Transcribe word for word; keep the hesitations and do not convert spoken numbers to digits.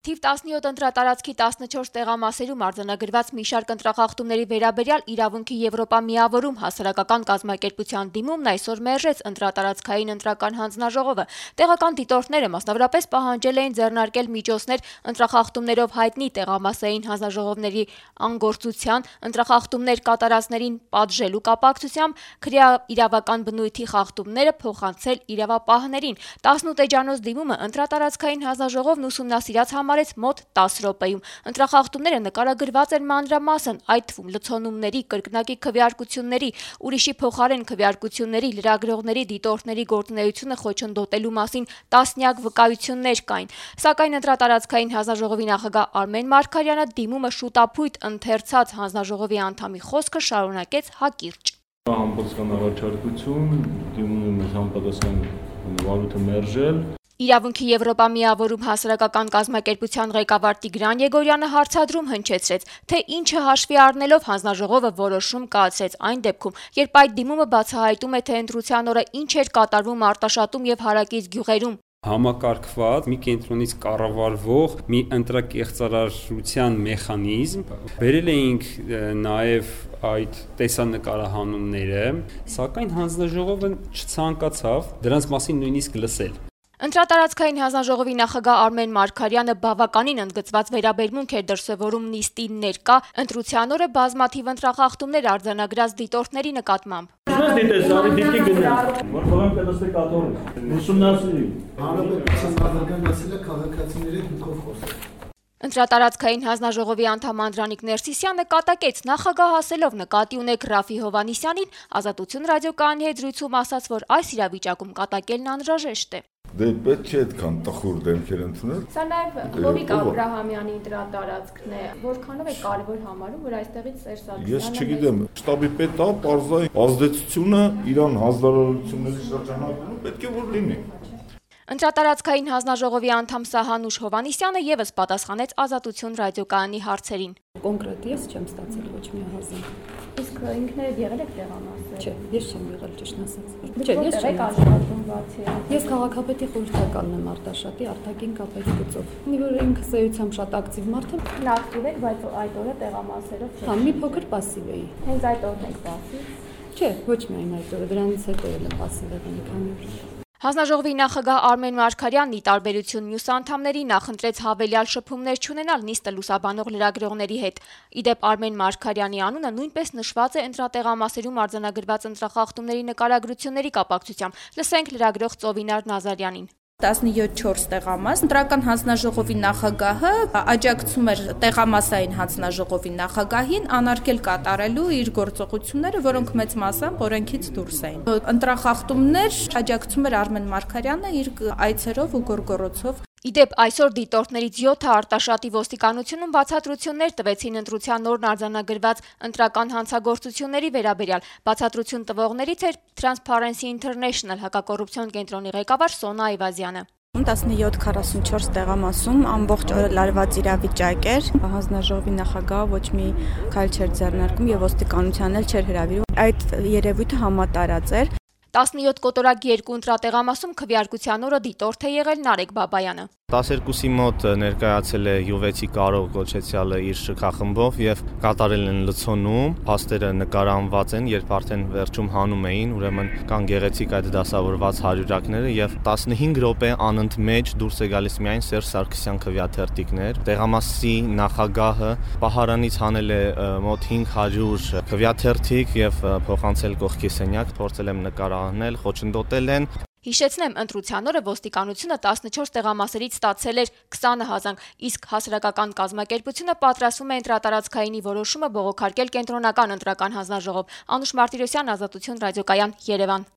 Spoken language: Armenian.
Թիվ տասնյոթ ընտրատարածքի տասնչորս տեղամասերում արձանագրված մի շարք ընտրախախտումների վերաբերյալ իրավունքի Եվրոպա միավորում հասարակական կազմակերպության դիմումն այսօր մերժեց ընտրատարածքային ընտրական հանձնաժողովը։ Տեղական դիտորդները մասնավորապես պահանջել էին ձեռնարկել միջոցներ ընտրախախտումներով հայտնի տեղամասային հանձնաժողովների անգործության, ընտրախախտումներ կատարածներին պատժելու կապակցությամբ քրեաիրավական բնույթի խախտումները փոխանցել իրավապահներին։ տասնութ էջանոց դիմումը ընտրատարածքային հանձնաժողովն ուսումնասիրած համարեց մոտ տասը րոպեում։ Ընտրախախտումները նկարագրված են մանրամասն, այդ թվում լցոնումների, կրկնակի քվեարկությունների, ուրիշի փոխարեն քվեարկությունների, լրագրողների, դիտորդների գործունեությունը խոչընդոտելու մասին տասնյակ վկայություններ կային։ Սակայն ընտրատարածքային հանձնաժողովի նախագահ Արմեն Մարգարյանը դիմումը շուտափույթ ընթերցած հանձնաժողովի անդամի խոսքը շարունակեց հակիրճ։ Համապատասխան առաջարկություն, դիմումը մեզ համապատասխան վարույթը մերժել։ Իրավունքի Եվրոպա միավորում հասարակական կազմակերպության ղեկավար Տիգրան Եգորյանը հարցադրում հնչեցրեց, թե ինչը հաշվի առնելով հանձնաժողովը որոշում կայացրեց այն դեպքում, երբ այդ դիմումը բացահայտում է, թե ընտրության օրը ինչ էր կատարվում Արտաշատում եւ հարակից գյուղերում։ Համակարգված մի կենտրոնից կառավարվող մի ընտրակեղծարարության մեխանիզմ, բերել էինք նաև այդ տեսանկարահանումները, սակայն հանձնաժողովը չցանկացավ դրանց մասին նույնիսկ լսել։ Ընտրատարածքային հանձնաժողովի նախագահ Արմեն Մարգարյանը բավականին ընդգծված վերաբերմունք էր դրսևորում նիստին ներկա ընտրության օրը բազմաթիվ ընտրախախտումներ արձանագրած դիտորդների նկատմամբ։ Ընտրատարածքային հանձնաժողովի անդամ Անդրանիկ Ներսիսյանը կատակեց նախագահ ասելով նկատի ունեք Ռաֆի Հովհաննիսյանին, Ազատություն ռադիոկայանի հետ զրույցում ասաց, որ այս իրավիճակում կատակելն անհրաժեշտ է։ Դե պետք չէ այդքան տխուր դեմքեր ընդունել։ Սա նաև Հովիկ Աբրահամյանի ընտրատարածքն է, որքանով է կարևոր համարում, որ այստեղից Սերժ Սարգսյանը։ Ես չգիտեմ, շտաբի պետը պարզային ազդեցությունը իրան հանձնարարությունների շրջանակում պետք է որ լինի։ Ընտրատարածքային հանձնաժողովի անդամ Սահանուշ Հովհաննիսյանը եւս պատասխանեց Ազատություն ռադիոկայանի հարցերին։ Կոնկրետ ես չեմ ստացել ոչ մի հազար։ Իսկ ինքներդ եղել եք տեղամասեր։ Չէ, ես չեմ եղել ճիշտն ասած։ Չէ, ես չեմ աշխատում բացի։ Ես քաղաքապետի խորհրդականն եմ Արտաշատի արտաքին կապերի գծով։ Մի որ ինքս էությամբ շատ ակտիվ մարդ եմ։ Ակտիվ եք, բայց այդ օրը տեղամասերով։ Հա, մի փոքր пассив էի։ Հենց այդ օրն եք пассив։ Չէ, ոչ միայն այդ օրը, դրանից հետո էլ եմ пассив եղել մի քանի օր։ Հանձնաժողովի նախագահ Արմեն Մարգարյանն ի տարբերություն մյուս անդամների նախընտրեց հավելյալ շփումներ չունենալ նիստը լուսաբանող լրագրողների հետ։ Ի դեպ Արմեն Մարգարյանի անունը նույնպես նշված է ընտրատեղամասերում արձանագրված ընտրախախտումների նկարագրությունների կապակցությամբ։ Լսենք լրագրող Ծովինար Նազարյանին։ տասնյոթ չորս տեղամաս ընտրական հանձնաժողովի նախագահը աջակցում էր տեղամասային հանձնաժողովի նախագահին անարգել կատարելու իր գործողությունները, որոնք մեծ մասամբ օրենքից դուրս էին։ Ընտրախախտումներ աջակցում էր Արմեն Մարգարյանը իր այցերով ու գորգորոցով։ Ի դեպ այսօր դիտորդներից յոթը Արտաշատի ոստիկանությունում բացատրություններ տվեցին ընտրության օրն արձանագրված ընտրական հանցագործությունների վերաբերյալ։ Բացատրություն տվողներից էր Transparency International հակակոռուպցիոն կենտրոնի ղեկավար Սոնա Այվազյանը։ տասնյոթ քառասունչորս տեղամասում ամբողջ օրը լարված իրավիճակ էր։ Հանձնաժողովի նախագահը ոչ մի քայլ չէր ձեռնարկում եւ ոստիկանությանն էլ չէր հրավիրում։ Այդ երևույթը համատարած էր։ տասնյոթ կոտորակ երկու ընտրատեղամասում քվեարկության օրը դիտորդ է եղել Նարեկ Բաբայանը։ տասներկուսի մոտ ներկայացել է յուվեցի կարող կոչեցյալը իր շքախմբով եւ կատարել են լցոնում, փաստերը նկարանված են, երբ արդեն վերջում հանում էին, ուրեմն կան գեղեցիկ այդ դասավորված հարյուրակները եւ տասնհինգ րոպե անընդմեջ դուրս է գալիս միայն Սերժ Սարգսյան քվեաթերթիկներ։ Տեղամասի նախագահը պահարանից հանել է մոտ հինգ հարյուր քվեաթերթիկ եւ փոխանցել կողքի սենյակ, փորձել եմ նկարանել, խոչընդոտել են։ Հիշեցնեմ, ընտրության օրը ոստիկանությունը տասնչորս տեղամասերից ստացել էր քսան հազանգ, իսկ հասարակական կազմակերպությունը պատրաստվում է ընտրատարածքայինի որոշումը բողոքարկել կենտրոնական ընտրական հանձնաժողով։ Անուշ Մարտիրոսյան, Ազատություն ռադիոկայան, Երևան։